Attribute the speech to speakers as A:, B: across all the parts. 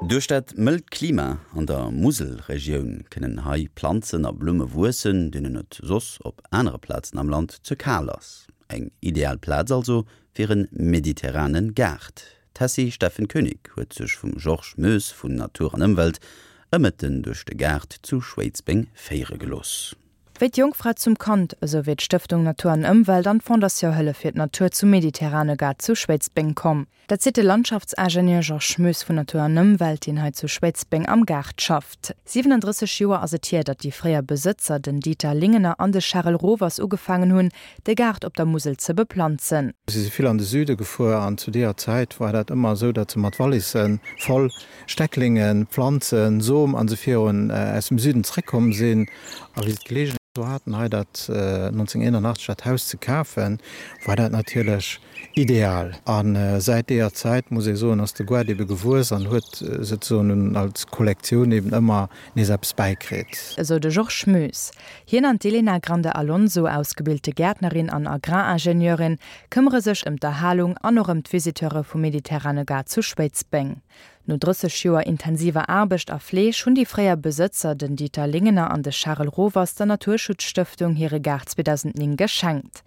A: Duerch dat mëllt Klima an der Muselregioun kënnen hei Planzen a Blumme wuessen, deenen et soss op anere Plazen am Land ze kal ass. Eng ideal Plaz also fir e mediterrane Gaart. D'Tessy Steffen Koenig huet sech vum Georges Moes vun Natur an Ëmwelt e Mëtten duerch de Gaart zu Schwéidsbeng féiere gelooss.
B: Wéi d'Jongfra zum Kand, esou wier d'Stëftung Natur an Ëmwelt an d'Fondation Hëllef fir d'Natur zum mediterrane Gaart zu Schwéidsbeng komm. Dat seet de Landschaftsingenieur Georges Moes vun Natur an Ëmwelt, deen hei zu Schwéidsbeng am Gaart schafft. 37 Joer ass et hier, datt déi fréier Besëtzer, den Dieter Lingener an de Charel Rovers ugefaangen hunn, de Gaart op der Musel ze beplanzen.
C: Si si vill an de Süde gefuer an zu deeër Zäit war dat ëmmer esou, datt se mat Wallisse voll Stecklingen, Pflanzen, Som an esou virun aus dem Süden zréckkomm sinn. A wéi se d'Geleegenheet do haten, hei dat 1981 dat Haus ze kafen, war dat natierlech ideal. A säit deeër Zäit, muss ee soen, ass de Goart ebe gewuess an huet souzesoen als Kollektioun eben ëmmer nees eppes bäikritt.
B: Esou de Georges Moes. Hien an d'Elena Grande Alonso, ausgebilte Gäertnerin an Agraringenieurin, këmmere sech ëm d'Erhalung an och ëm d'Visiteure vum mediterrane Gaart zu Schwéidsbeng. No 30 Joer intensiver Aarbecht a Fleeg hunn déi fréier Besëtzer, den Dieter Lingener an de Charel Rovers, der Naturschutzstëftung hire Gaart 2009 geschenkt.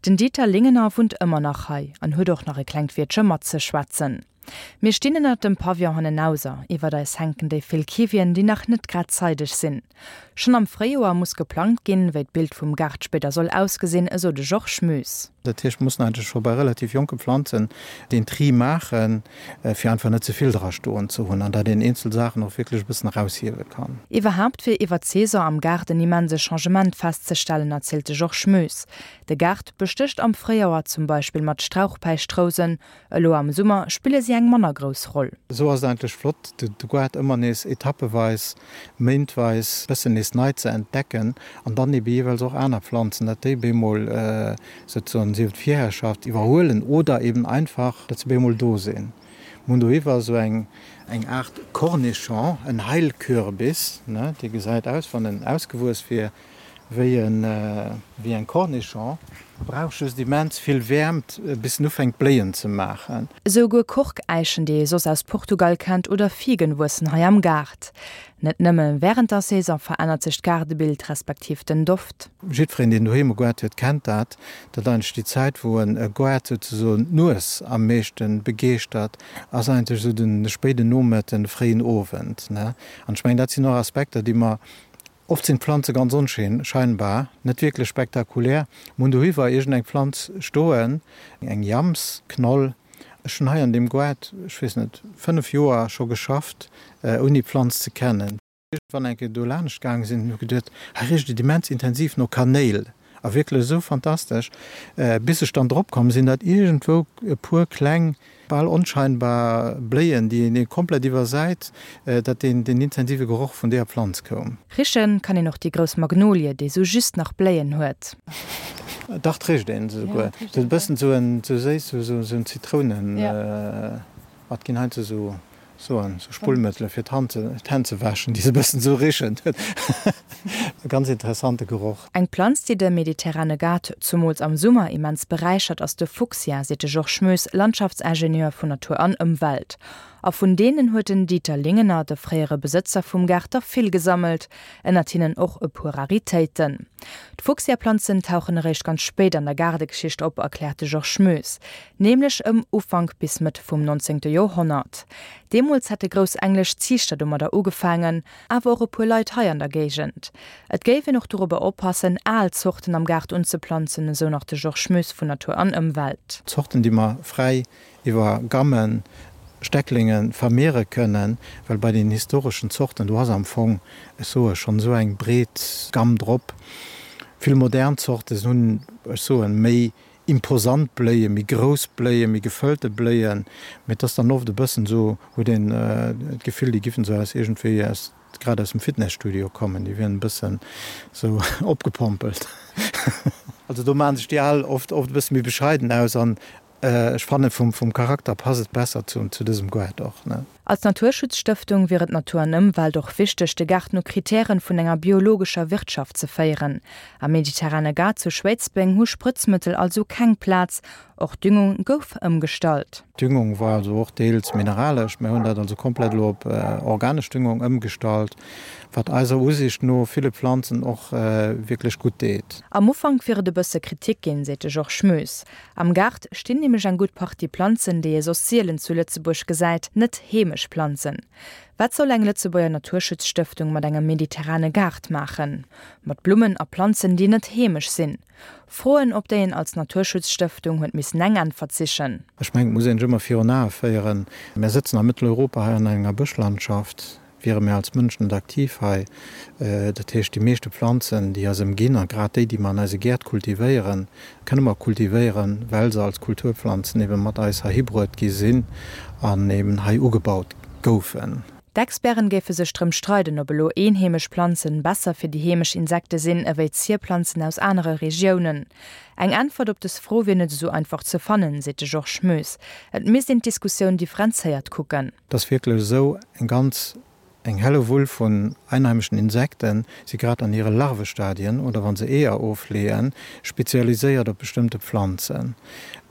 B: Den Dieter Lingener wunnt ëmmer nach hei an huet och nach e klengt Wiertche matzeschwätzen. Mir stinn ënnert dem Pavillon hannenauser, iwwert eis hänken déi vill Kiwien, déi nach net grad zeideg sinn. Schonn am Fréijoer muss geplangt ginn, wéi d'Bild vum Gaart spéider soll ausgesinn, esou de Georges Moes.
C: Dat heescht, mir mussen eigentlech scho bei relativ jonke Pflanzen deen Tri maachen, fir einfach net ze vill dra stoen ze hunn an datt een eenzel Saachen och wierklech e bëssen eraushiewe kann.
B: Iwwerhaapt wier iwwer d'Saison am Gaart en immense Changement festzestellen, erzielt de Georges Moes. De Gaart bestécht am Fréijoer zum Beispill mat Strauchpäischtrousen, Elo am Summer spille si eng manner grouss Roll.
C: Esou ass et eigentlech flott, de Goart ëmmer nees etappeweis, méintweis bëssen nees nei ze entdecken an dann ebe jeeweils och aner Pflanzen, dat déi bemol souzesoen sief et d'Virherrschaft iwwerhuelen oder eben einfach, dat se bemol do sinn. Mir hunn dohiwwer esou eng eng Aart Cornichon, en Heilkürbis, ne, dee gesäit aus, wann en ausgewuess wier, Wéi en, wéi eng Cornichon, brauch just immens vill Wäermt bis en ufänkt bléien ze maachen.
B: Esouguer Korkäichen, déi ee soss aus Portugal kennt, oder Figen wuessen hei am Gaart. Net nëmme wärend der Saison verännert sech d'Gaardebild, respektiv den Doft.
C: Jiddwereen deen doheem e Goart huet kennt dat, datt eigentlech déi Zäit wou en e Goart souzesoen d'Nues am meeschte begeeschtert, ass eigentlech esou de spéiden Nomëtten, de fréien Owend. An ech mengen dat sinn och Aspekter déi mer Oft sinn d'Planze ganz onscheinbar, net wierklech spektakulär. Mir hunn dohiwwer iergend eng Pflanz stoen, eng Jamsknoll. Ech hunn hei an deem Goart, ech weess net, 5 Joer scho geschafft, ouni d'Planz ze kennen. Wann eng Kéier do laanscht gaange sinn, hunn ech geduet, hei richt et immens intensiv no Kanéil. A wierklech esou fantastesch, bis ech dann drop komm sinn, datt iergendwou e puer kleng, bal onscheinbar Bléien, déi een komplett iwwersäit, datt deen intensive Geroch vun deeër Pflanz koum.
B: Riche kann een och déi grouss Magnolie, déi sou just nach Bléien huet.
C: Dach, 't richt een se souguer. Se huet e bëssen esou en, esou séiss, esou en Zitrounen, ma et ginn heiansdo esou Soen, sou Spullmëttele fir d'Hänn ze wäschen, déi sou e bëssen sou richen. E ganz interessante Geroch.
B: Eng Planz, déi de mediterrane Gaart, zumools am Summer, immens beräichert, ass de Fuchsia, seet de Georges Moes, Landschaftsingenieur vun Natur an Ëmwelt. A vun deenen huet den Dieter Lingener, de fréiere Besëtzer vum Gaart, der vill gesammelt, ënnert hinnen och e puer Raritéiten. D'Fuchsiaplanzen tauchen eréischt ganz spéit an der Gaardegeschicht op, erkläert de Georges Moes. Nämlech ëm Ufank bis Mëtt vum 19. Joerhonnert. Deemools hätte grouss englesch Ziichter domadder ugefaangen, awer och e puer Leit hei an der Géigend. Et géif een och dorobber oppassen, al Zorten am Gaart unzeplanzen, esou nach de Georges Moes vun Natur an Ëmwelt.
C: Zorten, déi mer fräi iwwer Gammen, Stecklinge vermeere kënnen, well bei den historeschen Zorten, do ass am Fong, ech soe schonn esou eng breet Gamm drop. Vill modern Zorte hunn, ech soen, méi imposant Bléien, méi grouss Bléien, méi gefëllte Bléien, mee et ass dann oft e bëssen esou, huet een d'Gefill, déi giffen esou aus iergendwéi aus, grad aus dem Fitnesstudio kommen, déi wieren e bëssen esou opgepompelt. Also do maachen sech déi al oft oft e bësse méi bescheiden aus an ech fannen vum vum Charakter passt et besser zu zu dësem Goart och, ne.
B: Als Naturschutzstëftung wier et Natur an Ëmwelt och wichteg, de Gaart no Kritären vun enger biologescher Wirtschaft ze féieren. Am mediterrane Gaart zu Schwéidsbeng hu Sprëtzmëttel also keng Plaz. Och d'Düngung gouf ëmgestallt.
C: D'Düngung war also och deels mineralesch. Mir hunn dat also komplett elo op organesch Düngung ëmgestallt, wat eiser Usiicht no ville Planzen och wierklech gutt deet.
B: Am Ufank wier et e bësse Kritik ginn, seet de Georges Moes. Am Gaart stinn nämlech eng gutt Partie Planzen, déi ee soss sielen zu Lëtzebuerg gesäit, net heemesch Planzen. Wat soll eng Lëtzebuerger Naturschutzstëftung mat engem mediterrane Gaart maachen? Mat Blummen a Planzen, déi net heemesch sinn? Froen, op déi een als Naturschutzstëftung huet missen eng Äntwert sichen.
C: Ech mengen, et muss een sech ëmmer virun Ae féieren, Mär sëtzen a Mëtteleuropa hei an enger Bëschlandschaft, wiere mär als Mënschen net aktiv hei. Dat heescht, déi meeschte Planzen, déi eis ëmginn, a grad déi, déi mer an eise Gäert kultivéieren, kënne mer kultivéieren, well se als Kulturpflanzen ebe mat eis heihi bruet gi sinn an eben hei ugebaut goufen.
B: D'Experten géife sech drëm streiden, ob elo eenheemesch Planzen besser fir déi heemesch Insekte sinn ewéi Zierplanzen aus anere Regiounen. Eng Äntwert op dës Fro wier net esou einfach ze fannen, seet de Georges Moes. Et misst een d'Diskussioun differenzéiert kucken.
C: Et ass wierklech esou, eng ganz, eng Hellewull vun einheimeschen Insekten si grad an hire Larvestadien oder wa se Eeër ofleeën, spezialiséiert op bestëmmte Pflanzen.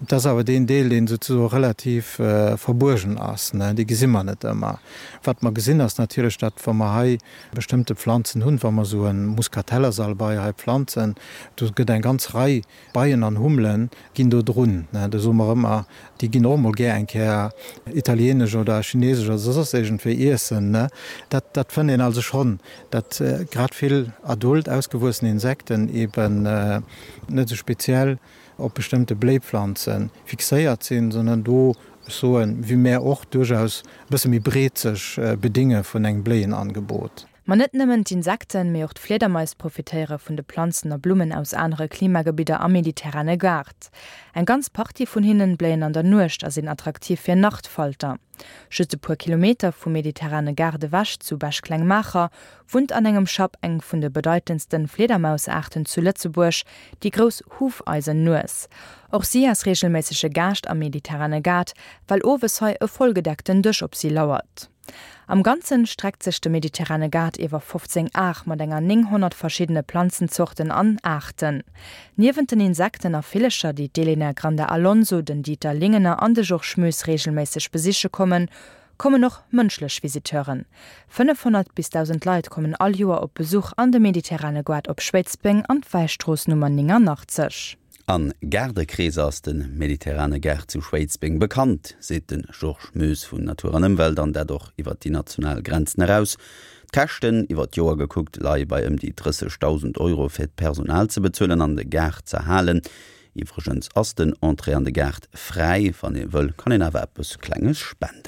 C: Et ass awer deen Deel, deen souzesoe relativ verbuergen ass, dee gesi mer net ëmmer. Wat mer gesinn, ass natierlech, datt wa mer hei bestëmmte Pflanzen hunn, wa mer esou e Muskatellersalbei hei pflanzen, do gëtt eng ganz Rei Beien an Hummele ginn do drun. Do soe mer ëmmer, déi ginn och emol gär eng Kéier italienesch oder chinesesch oder soss iergendwéi iessen. Dat, dat fënnt een also schonn, datt grad vill adult, ausgewuessen Insekten eeben net esou speziell op bestëmmte Bléipflanze fixéiert sinn, sondern do, ech soen, wéi mär och, duerchaus e bësse méi breet sech bedinge vun engem Bléienangebot.
B: Ma net nëmmen d'Insekten, mee och d'Fliedermais profitéiere vun de Planzen a Blummen aus anere Klimagebidder am mediterrane Gaart. Eng ganz Partie vun hinnen bléien an der Nuecht a sinn attraktiv fir Nachtfalter. Just e puer Kilometer vum mediterrane Gaart ewech, zu Bech-Klengmaacher, wunnt an engem Schapp eng vun de bedeitendsten Fliedermausaarten zu Lëtzebuerg, déi grouss Hufeisennues. Och si ass reegelméissege Gaascht am mediterrane Gaart, well owes hei e vollgedeckten Dësch op si lauert. Am Ganzen streckt sech de mediterrane Gaart iwwer 15 Ar mat enger 900 verschiddene Planzenzorten an Aarten. Niewent den Insekten a Villecher, déi d'Elena Granda Alonso, den Dieter Lingener an de Georges Moes reegelméisseg besiche kommen, kommen och mënschlech Visiteuren. 500 bis 1.000 Leit kommen all Joer op Besuch an de mediterrane Goart op Schwéidsbeng an d'Wäistrooss Nummer 89.
A: A Gaardekreeser ass de mediterrane Gaart zu Schwéidsbeng bekannt, seet de Georges Moes vun Natur an Ëmwelt, an dat och iwwer déi national Grenzen eraus. D'Käschten, iwwer d'Joer gekuckt, leie bei ëm déi 30.000 Euro fir d'Personal ze bezuelen an de Gaart z'erhalen. Iwwregens ass den Entrée an de Gaart fräi, wann ee wëll, kann een awer eppes Klenges spenden.